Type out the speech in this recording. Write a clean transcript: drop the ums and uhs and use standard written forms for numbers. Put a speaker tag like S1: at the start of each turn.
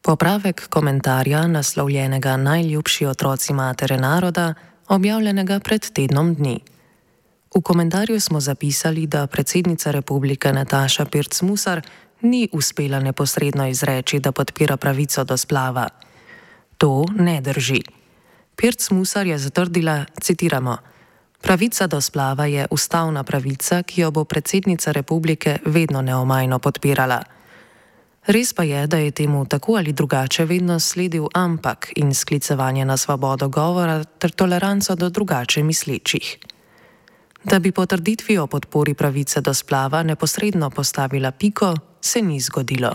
S1: Popravek komentarja naslovljenega Najljubši otroci matere naroda, objavljenega pred tednom dni. V komentarju smo zapisali, da predsednica republike Nataša Pirc Musar ni uspela neposredno izreči, da podpira pravico do splava. To ne drži. Pirc Musar je zatrdila, citiramo: "Pravica do splava je ustavna pravica, ki jo bo predsednica republike vedno neomajno podpirala." Res pa je, da je temu tako ali drugače vedno sledil ampak in sklicevanje na svobodo govora ter toleranco do drugače mislečih. Da bi potrditvi o podpori pravice do splava neposredno postavila piko, se ni zgodilo.